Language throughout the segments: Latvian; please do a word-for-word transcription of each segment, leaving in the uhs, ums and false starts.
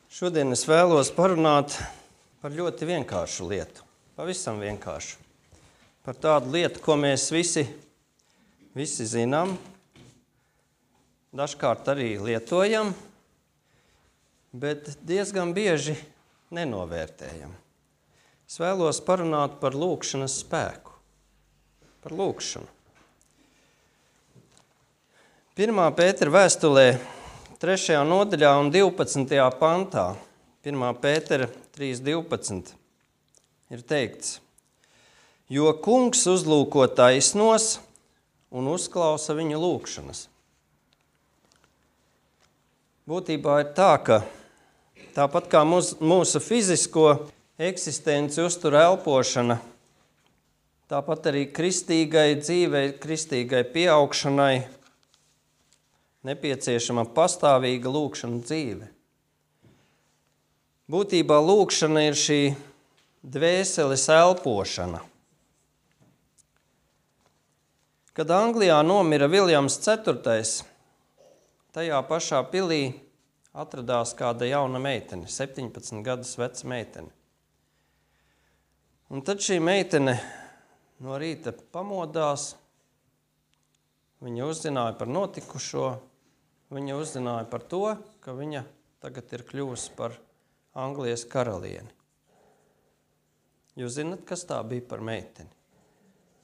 Šodien es vēlos parunāt par ļoti vienkāršu lietu, pavisam vienkāršu. Par tādu lietu, ko mēs visi, visi zinām, dažkārt arī lietojam, bet diezgan bieži nenovērtējam. Es vēlos parunāt par lūgšanas spēku, par lūgšanu. Pirmā Pētera vēstulē, trešajā nodaļā un divpadsmitajā pantā, pirmā Pētera trīs divpadsmit, ir teikts: jo kungs uzlūko taisnos un uzklausa viņu lūgšanas. Būtībā ir tā, ka tāpat kā mūsu, mūsu fizisko eksistenci uztur elpošana, tāpat arī kristīgai dzīvei, kristīgai pieaugšanai nepieciešama pastāvīga lūgšana dzīve. Būtībā lūgšana ir šī dvēseles elpošana. Kad Anglijā nomira Viljams ceturtais, tajā pašā pilī atradās kāda jauna meitene, septiņpadsmit gadus veca meitene. Un tad šī meitene no rīta pamodās, viņa uzzināja par notikušo, viņa uzzināja par to, ka viņa tagad ir kļuvusi par Anglijas karalieni. Jūs zināt, kas tā bija par meiteni?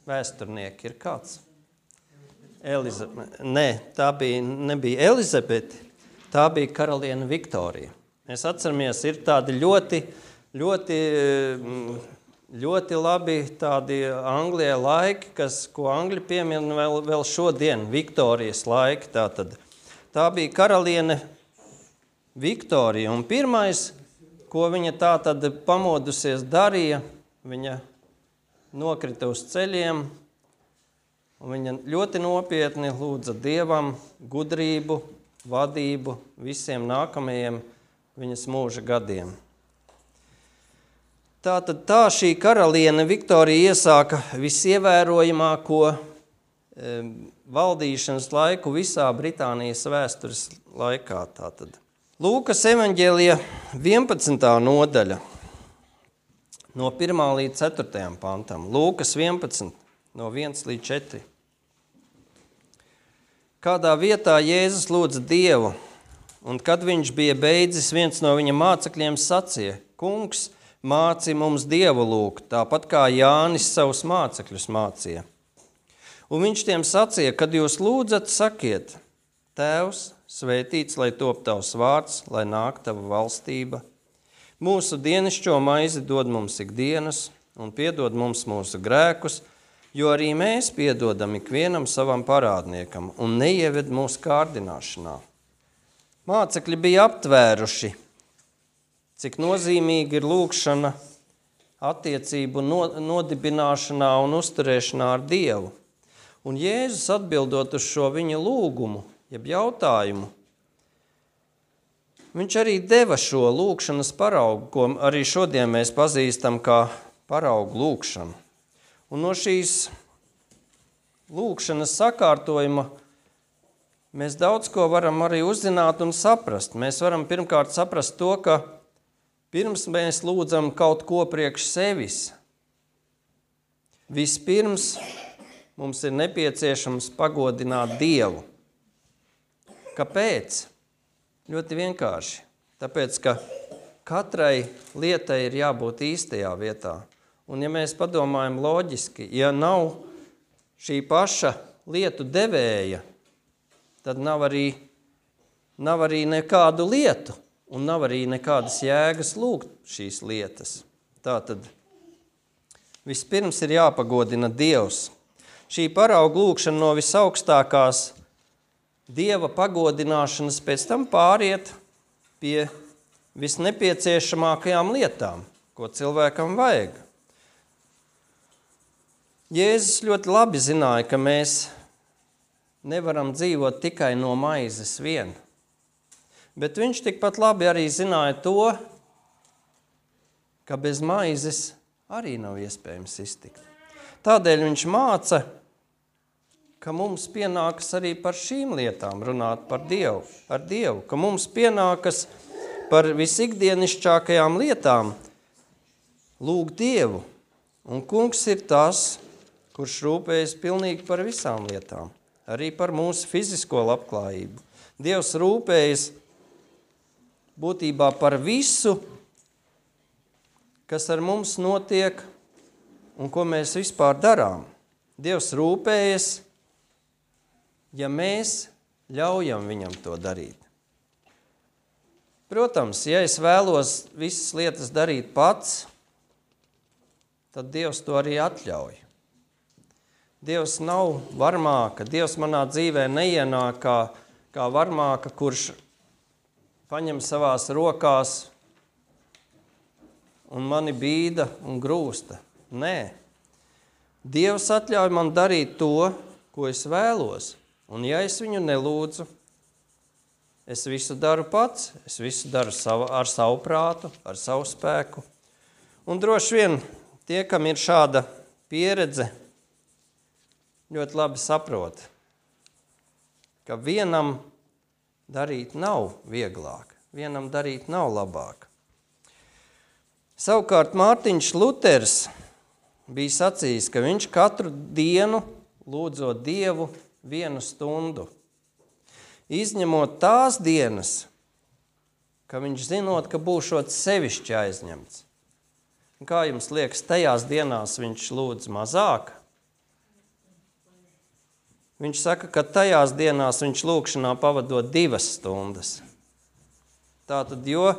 Vēsturnieki ir kāds? Elizabete. Nē, tā bija, nebija Elizabete, tā bija karaliene Viktorija. Mēs atceramies, ir tādi ļoti, ļoti, ļoti labi tādi Anglijai laiki, kas, ko Angļi piemina vēl, vēl šodien, Viktorijas laiki. Tātad. Tā bija karaliene Viktorija, un pirmais, ko viņa tā tad pamodusies darīja, viņa nokrita uz ceļiem, un viņa ļoti nopietni lūdza Dievam gudrību, vadību visiem nākamajiem viņas mūža gadiem. Tātad tā šī karaliene Viktorija iesāka visievērojamāko e, valdīšanas laiku visā Britānijas vēstures laikā. Tātad. Lūkas evaņģēlija vienpadsmitā nodaļa, no pirmā līdz ceturtajam pantam. Lūkas vienpadsmit, no viens līdz četri. Kādā vietā Jēzus lūdza Dievu, un kad viņš bija beidzis, viens no viņa mācekļiem sacīja: Kungs, māci mums Dievu lūgt, tāpat kā Jānis savus mācekļus mācīja. Un viņš tiem sacīja: kad jūs lūdzat, sakiet: Tēvs, svētīts, lai top tavs vārds, lai nāk tava valstība. Mūsu dienascho maizi dod mums ikdienas, un piedod mums mūsu grēkus, jo arī mēs piedodam ikvienam savam parādniekam, un neieved mūsu kārdināšanā. Mācekļi bija aptvēruši, cik nozīmīgi ir lūgšana attiecību nodibināšanā un uzturēšanā ar Dievu. Un Jēzus atbildot uz šo viņa lūgumu, jeb jautājumu, viņš arī deva šo lūgšanas paraugu, ko arī šodien mēs pazīstam kā paraugu lūgšanu. Un no šīs lūgšanas sakārtojuma mēs daudz ko varam arī uzzināt un saprast. Mēs varam pirmkārt saprast to, ka pirms mēs lūdzam kaut ko priekš sevis, vispirms mums ir nepieciešams pagodināt Dievu. Kāpēc? Ļoti vienkārši. Tāpēc, ka katrai lietai ir jābūt īstajā vietā. Un ja mēs padomājam loģiski, ja nav šī paša lietu devēja, tad nav arī, nav arī nekādu lietu un nav arī nekādas jēgas lūgt šīs lietas. Tātad vispirms ir jāpagodina Dievs. Šī parauga lūgšana no visaugstākās Dieva pagodināšanas pēc tam pāriet pie visnepieciešamākajām lietām, ko cilvēkam vajag. Jēzus ļoti labi zināja, ka mēs nevaram dzīvot tikai no maizes vien, bet viņš tikpat labi arī zināja to, ka bez maizes arī nav iespējams iztikt. Tādēļ viņš māca, ka mums pienākas arī par šīm lietām runāt par Dievu, ar Dievu, ka mums pienākas par visikdienišķākajām lietām, lūgt Dievu. Un kungs ir tas, kurš rūpējas pilnīgi par visām lietām, arī par mūsu fizisko labklājību. Dievs rūpējas būtībā par visu, kas ar mums notiek un ko mēs vispār darām. Dievs rūpējas, ja mēs ļaujam viņam to darīt. Protams, ja es vēlos visas lietas darīt pats, tad Dievs to arī atļauj. Dievs nav varmāka, Dievs manā dzīvē neienāk kā, kā varmāka, kurš paņem savās rokās un mani bīda un grūsta. Nē. Dievs atļauj man darīt to, ko es vēlos. Un ja es viņu nelūdzu, es visu daru pats, es visu daru savu, ar savu prātu, ar savu spēku. Un droši vien tie, kam ir šāda pieredze, ļoti labi saprot, ka vienam darīt nav vieglāk, vienam darīt nav labāk. Savukārt Mārtiņš Luters bija sacījis, ka viņš katru dienu lūdzot Dievu vienu stundu, izņemot tās dienas, ka viņš zinot, ka būšot sevišķi aizņemts. Un kā jums liekas, tajās dienās viņš lūdz mazāk? Viņš saka, ka tajās dienās viņš lūkšanā pavadot divas stundas. Tātad, jo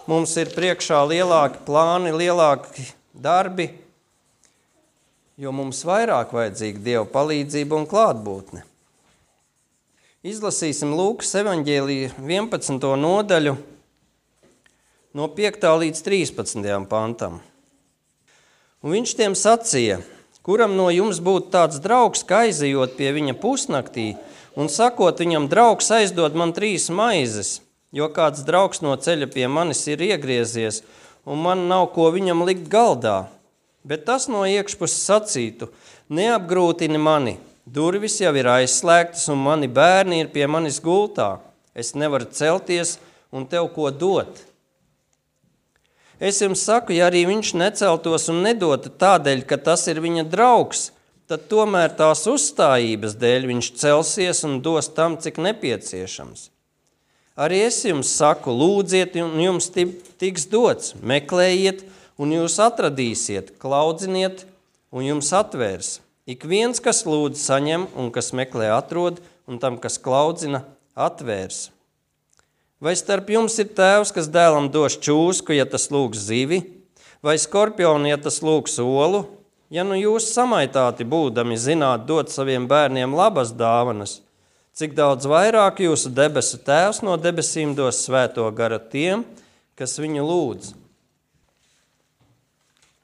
mums ir priekšā lielāki plāni, lielāki darbi, jo mums vairāk vajadzīga Dieva palīdzība un klātbūtne. Izlasīsim Lūkas evaņģēlija vienpadsmito nodaļu no piektā līdz trīspadsmitajam pantam. Un viņš tiem sacīja, kuram no jums būtu tāds draugs, ka aizejot pie viņa pusnaktī un sakot viņam, draugs aizdod man trīs maizes, jo kāds draugs no ceļa pie manis ir iegriezies un man nav ko viņam likt galdā. Bet tas no iekšpuses sacītu, neapgrūtini mani, durvis jau ir aizslēgtas un mani bērni ir pie manis gultā. Es nevaru celties un tev ko dot. Es jums saku, ja arī viņš neceltos un nedotu tādēļ, ka tas ir viņa draugs, tad tomēr tās uzstājības dēļ viņš celsies un dos tam, cik nepieciešams. Arī es jums saku, lūdziet un jums tiks dots, meklējiet un jūs atradīsiet, klaudziniet un jums atvērs. Ik viens, kas lūdz, saņem un kas meklē atrod, un tam, kas klaudzina, atvērs. Vai starp jums ir tēvs, kas dēlam dos čūsku, ja tas lūgs zivi, vai skorpionu, ja tas lūgs olu? Ja nu jūs samaitāti būdami zināt dot saviem bērniem labas dāvanas, cik daudz vairāk jūsu debesu tēvs no debesīm dos svēto garu tiem, kas viņu lūdz.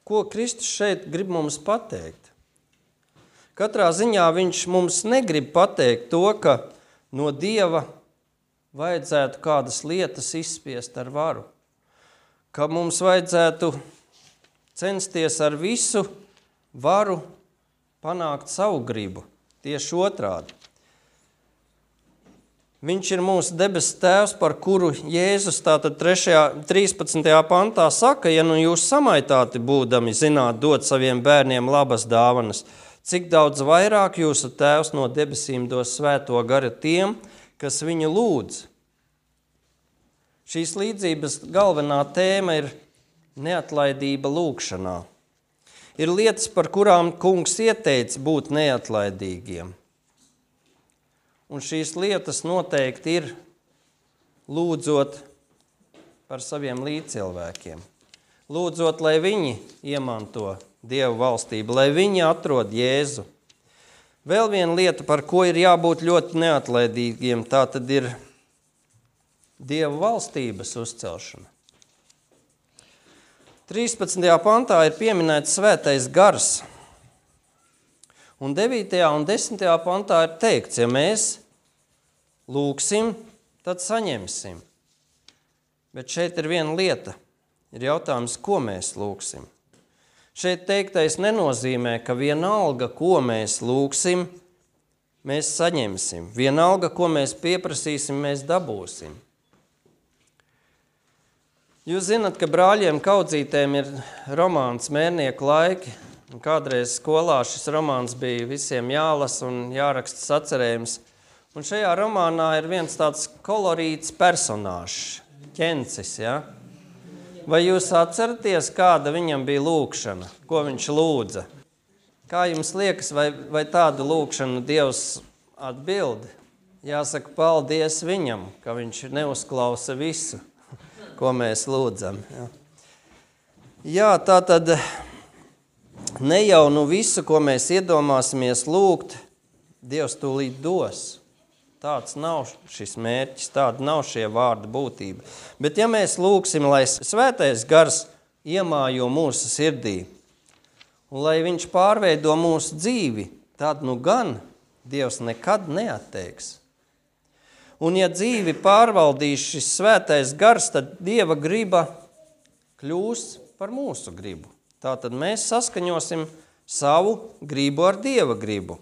Ko Kristus šeit grib mums pateikt? Katrā ziņā viņš mums negrib pateikt to, ka no Dieva vajadzētu kādas lietas izspiest ar varu, ka mums vajadzētu censties ar visu varu panākt savu gribu, tieši otrādi. Viņš ir mūsu debesu tēvs, par kuru Jēzus tātad trīspadsmitajā pantā saka, ja nu jūs samaitāti būdami zināt dot saviem bērniem labas dāvanas, cik daudz vairāk jūsu tēvs no debesīm dos svēto garu tiem, kas viņu lūdz. Šīs līdzības galvenā tēma ir neatlaidība lūkšanā. Ir lietas, par kurām kungs ieteica būt neatlaidīgiem. Un šīs lietas noteikti ir lūdzot par saviem līdzcilvēkiem. Lūdzot, lai viņi iemanto Dievu valstību, lai viņi atrod Jēzu. Vēl viena lieta, par ko ir jābūt ļoti neatlaidīgiem, tā tad ir Dievu valstības uzcelšana. trīspadsmitajā pantā ir pieminēts svētais gars. Un devītajā un desmitajā pantā ir teikts, ja mēs lūksim, tad saņemsim. Bet šeit ir viena lieta. Ir jautājums, ko mēs lūksim. Šeit teiktais nenozīmē, ka vienalga, ko mēs lūksim, mēs saņemsim. Vienalga, ko mēs pieprasīsim, mēs dabūsim. Jūs zināt, ka brāļiem Kaudzītēm ir romāns Mērnieku laiki. Un kādreiz skolā šis romāns bija visiem jālasa un jāraksta sacerējums. Un šajā romānā ir viens tāds kolorīts personāžs, Ķencis, ja? Vai jūs atceraties, kāda viņam bija lūkšana, ko viņš lūdza? Kā jums liekas, vai, vai tādu lūkšanu Dievs atbild? Jāsaka paldies viņam, ka viņš neuzklausa visu, ko mēs lūdzam. Jā, Jā tā tad ne jau nu visu, ko mēs iedomāsimies lūgt, Dievs tūlīt dos. Tāds nav šis mērķis, tāda nav šie vārdi būtība. Bet ja mēs lūgsim, lai svētais gars iemājo mūsu sirdī, un lai viņš pārveido mūsu dzīvi, tad nu gan Dievs nekad neatteiks. Un ja dzīvi pārvaldīs šis svētais gars, tad Dieva griba kļūs par mūsu gribu. Tātad mēs saskaņosim savu gribu ar Dieva gribu.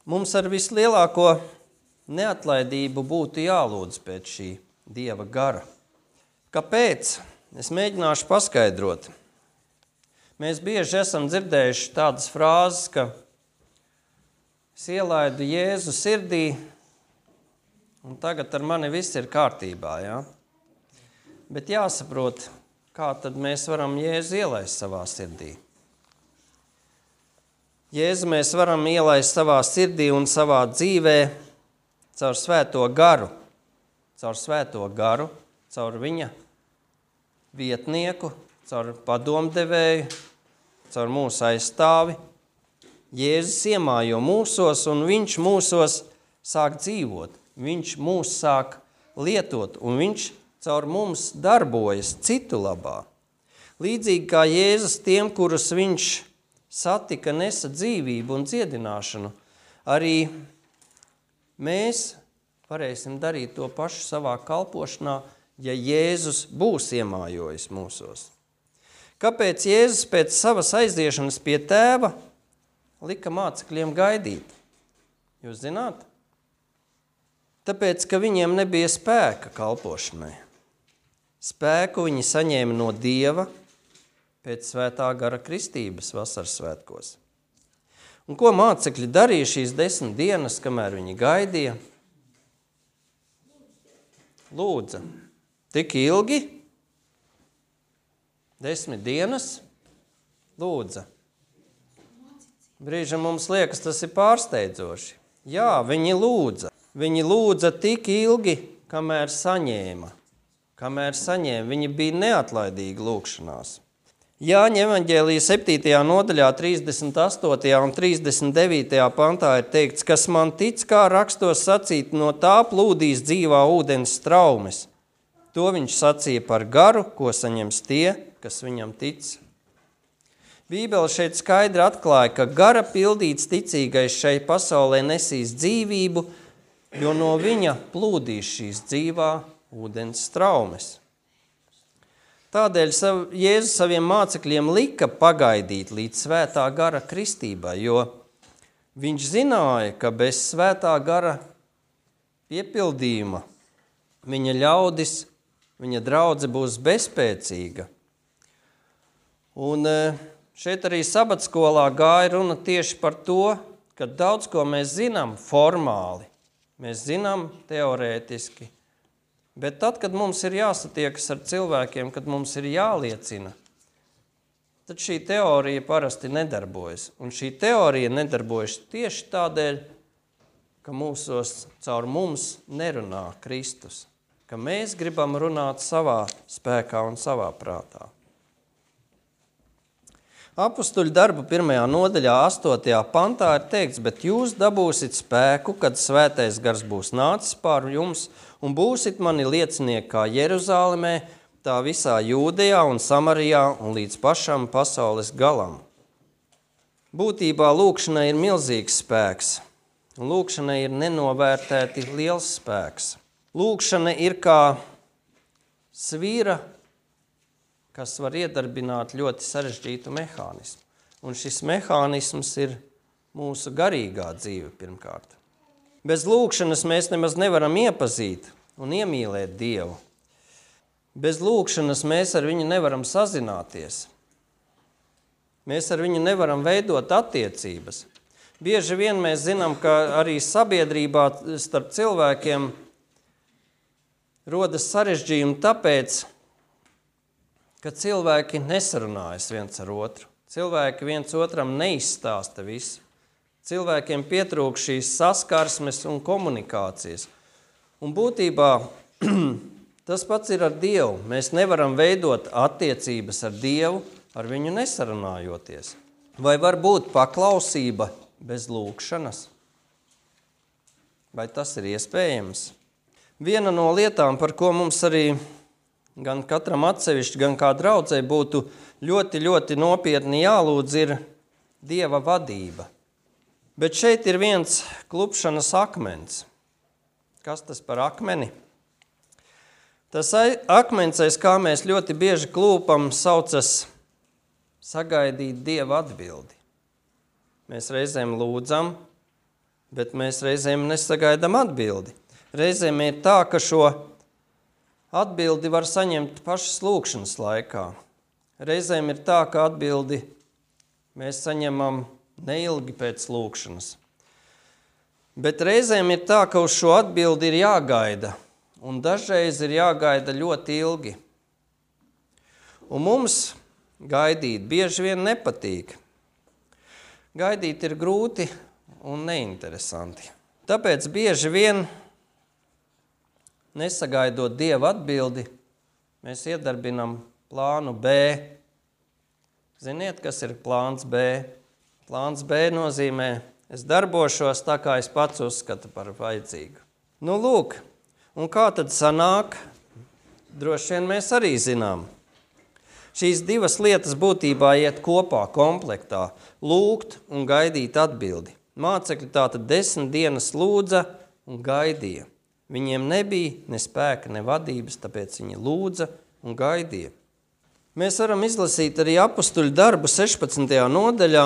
Mums ar vislielāko neatlaidību būtu jālūdz pēc šī Dieva gara. Kāpēc? Es mēģināšu paskaidrot. Mēs bieži esam dzirdējuši tādas frāzes, ka es ielaidu Jēzu sirdī, un tagad ar mani viss ir kārtībā. Ja? Bet jāsaprot, kā tad mēs varam Jēzu ielaist savā sirdī. Jēzu mēs varam ielaist savā sirdī un savā dzīvē caur svēto garu, caur svēto garu, caur viņa vietnieku, caur padomdevēju, caur mūsu aizstāvi. Jēzus iemājo mūsos, un viņš mūsos sāk dzīvot. Viņš mūs sāk lietot, un viņš caur mums darbojas citu labā. Līdzīgi kā Jēzus tiem, kurus viņš satika, nesa dzīvību un dziedināšanu, arī mēs varēsim darīt to pašu savā kalpošanā, ja Jēzus būs iemājojis mūsos. Kāpēc Jēzus pēc savas aiziešanas pie tēva lika mācekļiem gaidīt? Jūs zināt? Tāpēc, ka viņiem nebija spēka kalpošanai. Spēku viņi saņēma no Dieva pēc svētā gara kristības vasaras svētkos. Un ko mācekļi darīja šīs desmit dienas, kamēr viņi gaidīja? Lūdza. Tik ilgi? Desmit dienas? Lūdza. Brīžam mums liekas, tas ir pārsteidzoši. Jā, viņi lūdza. Viņi lūdza tik ilgi, kamēr saņēma. Kamēr saņēma, viņi bija neatlaidīgi lūkšanās. Jāņa evaņģēlija septītajā nodaļā, trīsdesmit astotajā un trīsdesmit devītajā pantā ir teikts, kas man tic, kā rakstos sacīt, no tā plūdīs dzīvā ūdens straumes. To viņš sacīja par garu, ko saņems tie, kas viņam tic. Bībele šeit skaidri atklāja, ka gara pildīts ticīgais šai pasaulē nesīs dzīvību, jo no viņa plūdīs šīs dzīvā ūdens straumes. Tādēļ Jēzus saviem mācekļiem lika pagaidīt līdz svētā gara kristībai, jo viņš zināja, ka bez svētā gara piepildījuma viņa ļaudis, viņa draudze būs bezspēcīga. Un šeit arī sabatskolā gāja runa tieši par to, ka daudz ko mēs zinām formāli, mēs zinām teorētiski, bet tad, kad mums ir jāsatiekas ar cilvēkiem, kad mums ir jāliecina, tad šī teorija parasti nedarbojas. Un šī teorija nedarbojas tieši tādēļ, ka mūsos caur mums nerunā Kristus, ka mēs gribam runāt savā spēkā un savā prātā. Apustuļu darbu pirmajā nodaļā, astotajā pantā ir teikts, bet jūs dabūsit spēku, kad svētais gars būs nācis pār jums, un būsit mani liecinieki kā Jeruzālemē, tā visā Jūdejā un Samarijā un līdz pašam pasaules galam. Būtībā lūkšanai ir milzīgs spēks, un lūkšanai ir nenovērtēti liels spēks. Lūkšana ir kā svīra, kas var iedarbināt ļoti sarežģītu mehānismu. Un šis mehānisms ir mūsu garīgā dzīve pirmkārt. Bez lūkšanas mēs nemaz nevaram iepazīt un iemīlēt Dievu. Bez lūkšanas mēs ar viņu nevaram sazināties. Mēs ar viņu nevaram veidot attiecības. Bieži vien mēs zinām, ka arī sabiedrībā starp cilvēkiem rodas sarežģījumi tāpēc, ka cilvēki nesarunājas viens ar otru. Cilvēki viens otram neizstāsta visu. Cilvēkiem pietrūk šīs saskarsmes un komunikācijas. Un būtībā tas pats ir ar Dievu. Mēs nevaram veidot attiecības ar Dievu, ar viņu nesarunājoties. Vai var būt paklausība bez lūkšanas? Vai tas ir iespējams? Viena no lietām, par ko mums arī gan katram atsevišķi, gan kā draudzei būtu ļoti, ļoti nopietni jālūdz, ir Dieva vadība. Bet šeit ir viens klupšanas akmens. Kas tas par akmeni? Tas akmens, aiz kā mēs ļoti bieži klūpam, saucas sagaidīt Dieva atbildi. Mēs reizēm lūdzam, bet mēs reizēm nesagaidām atbildi. Reizēm ir tā, ka šo atbildi var saņemt pašas lūkšanas laikā. Reizēm ir tā, ka atbildi mēs saņemam neilgi pēc lūkšanas. Bet reizēm ir tā, ka uz šo atbildi ir jāgaida, un dažreiz ir jāgaida ļoti ilgi. Un mums gaidīt bieži vien nepatīk. Gaidīt ir grūti un neinteresanti. Tāpēc bieži vien, nesagaidot Dieva atbildi, mēs iedarbinam plānu B. Ziniet, kas ir plāns B? Plāns B nozīmē, es darbošos tā, kā es pats uzskatu par vajadzīgu. Nu, lūk, un kā tad sanāk? Droši vien mēs arī zinām. Šīs divas lietas būtībā iet kopā, komplektā – lūgt un gaidīt atbildi. Mācekļi tātad desmit dienas lūdza un gaidīja. Viņiem nebija ne spēka, ne vadības, tāpēc viņi lūdza un gaidīja. Mēs varam izlasīt arī apustuļu darbu sešpadsmitajā nodaļā,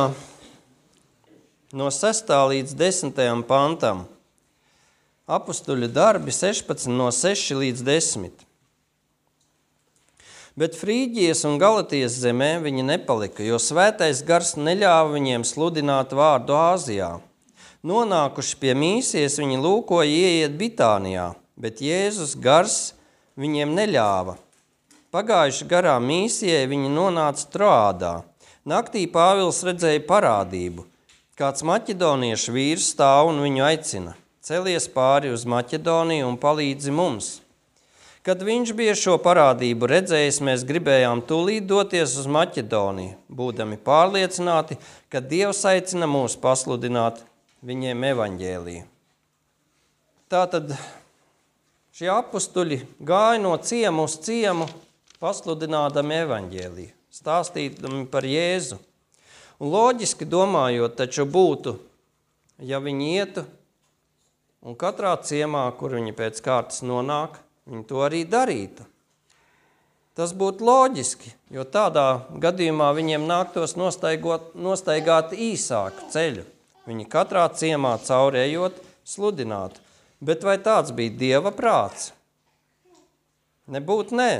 no sestā līdz desmitajam pantam. Apustuļu darbi sešpadsmit no seši līdz desmit. Bet Frīģijas un Galatijas zemē viņi nepalika, jo svētais gars neļāva viņiem sludināt vārdu Āzijā. Nonākuši pie Mīsijas, viņi lūkoja ieiet Bitānijā, bet Jēzus gars viņiem neļāva. Pagājuši garām Mīsijai, viņi nonāca Troādā. Naktī Pāvils redzēja parādību. Kāds maķedoniešu vīrs stāv un viņu aicina. Celies pāri uz Maķedoniju un palīdzi mums. Kad viņš bija šo parādību redzējis, mēs gribējām tūlīt doties uz Maķedoniju, būdami pārliecināti, ka Dievs aicina mūs pasludināt viņiem evaņģēliju. Tātad šie apustuļi gāja no ciemu uz ciemu, pasludinādami evaņģēliju, stāstīdami par Jēzu. Un loģiski domājot, taču būtu, ja viņi ietu un katrā ciemā, kur viņi pēc kārtas nonāk, viņi to arī darītu. Tas būtu loģiski, jo tādā gadījumā viņiem nāktos nostaigot, nostaigāt īsāku ceļu. Viņi katrā ciemā caurējot sludinātu. Bet vai tāds bija Dieva prāts? Nebūt nē.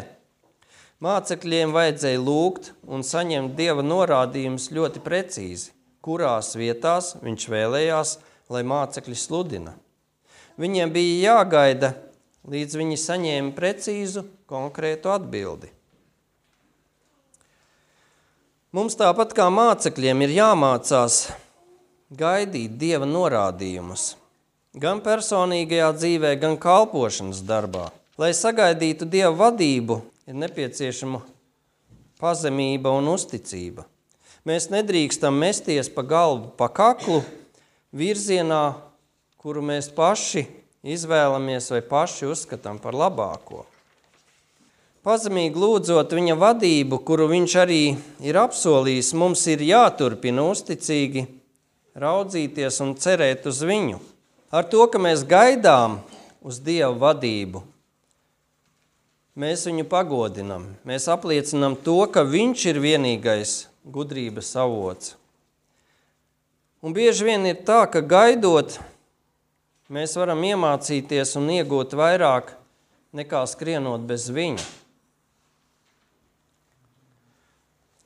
Mācekļiem vajadzēja lūgt un saņemt Dieva norādījumus ļoti precīzi, kurās vietās viņš vēlējās, lai mācekļi sludina. Viņiem bija jāgaida, līdz viņi saņēma precīzu, konkrētu atbildi. Mums tāpat kā mācekļiem ir jāmācās gaidīt Dieva norādījumus, gan personīgajā dzīvē, gan kalpošanas darbā. Lai sagaidītu Dieva vadību, ir nepieciešama pazemība un uzticība. Mēs nedrīkstam mesties pa galvu, pa kaklu virzienā, kuru mēs paši izvēlamies vai paši uzskatām par labāko. Pazemīgi lūdzot viņa vadību, kuru viņš arī ir apsolījis, mums ir jāturpina uzticīgi raudzīties un cerēt uz viņu. Ar to, ka mēs gaidām uz Dieva vadību, mēs viņu pagodinam. Mēs apliecinam to, ka viņš ir vienīgais gudrības avots. Un bieži vien ir tā, ka gaidot, mēs varam iemācīties un iegūt vairāk nekā skrienot bez viņa.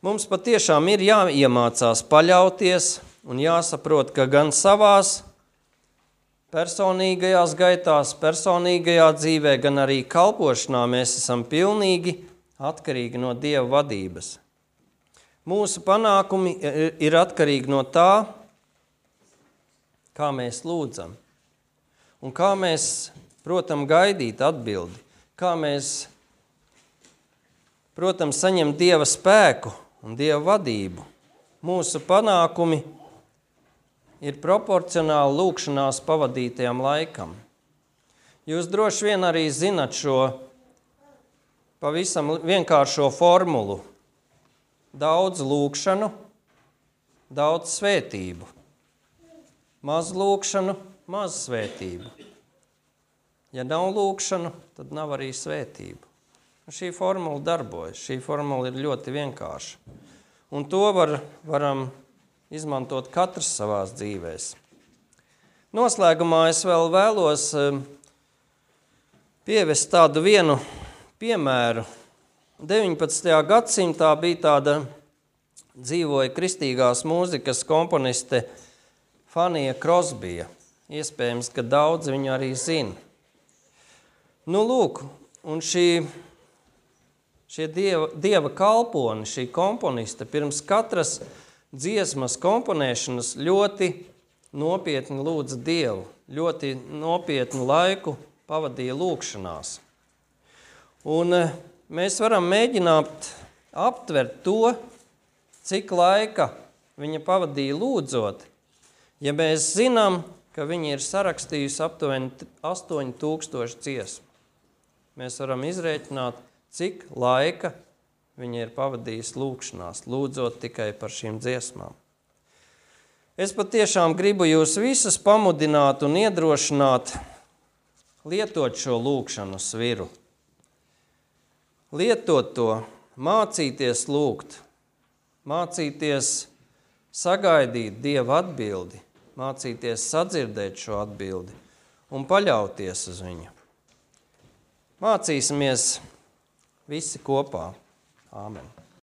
Mums patiešām ir jāiemācās paļauties un jāsaprot, ka gan savās personīgajās gaitās, personīgajā dzīvē, gan arī kalpošanā mēs esam pilnīgi atkarīgi no Dieva vadības. Mūsu panākumi ir atkarīgi no tā, kā mēs lūdzam un kā mēs, protams, gaidīt atbildi, kā mēs, protams, saņem Dieva spēku un Dieva vadību. Mūsu panākumi ir proporcionāli lūkšanās pavadītajam laikam. Jūs droši vien arī zinat šo pavisam vienkāršo formulu. Daudz lūkšanu, daudz svētību. Maz lūkšanu, maz svētību. Ja nav lūkšanu, tad nav arī svētību. Šī formula darbojas, šī formula ir ļoti vienkārša. Un to var, varam izmantot katrs savās dzīvēs. Noslēgumā es vēl vēlos pievest tādu vienu piemēru. deviņpadsmitajā gadsimtā bija tāda dzīvoja kristīgās mūzikas komponiste Fanija Krosbija. Iespējams, ka daudz viņu arī zina. Nu, lūk, un šī Šie dieva, dieva kalponi, šī komponiste pirms katras dziesmas komponēšanas ļoti nopietni lūdza Dievu, ļoti nopietnu laiku pavadīja lūkšanās. Un mēs varam mēģināt aptvert to, cik laika viņa pavadīja lūdzot, ja mēs zinām, ka viņa ir sarakstījusi aptuveni astoņi tūkstoši dziesmu. Mēs varam izrēķināt, cik laika viņa ir pavadījis lūkšanās, lūdzot tikai par šīm dziesmām. Es patiešām gribu jūs visus pamudināt un iedrošināt lietot šo lūkšanu sviru. Lietot to, mācīties lūgt, mācīties sagaidīt Dieva atbildi, mācīties sadzirdēt šo atbildi un paļauties uz viņu. Mācīsimies visi kopā. Āmen.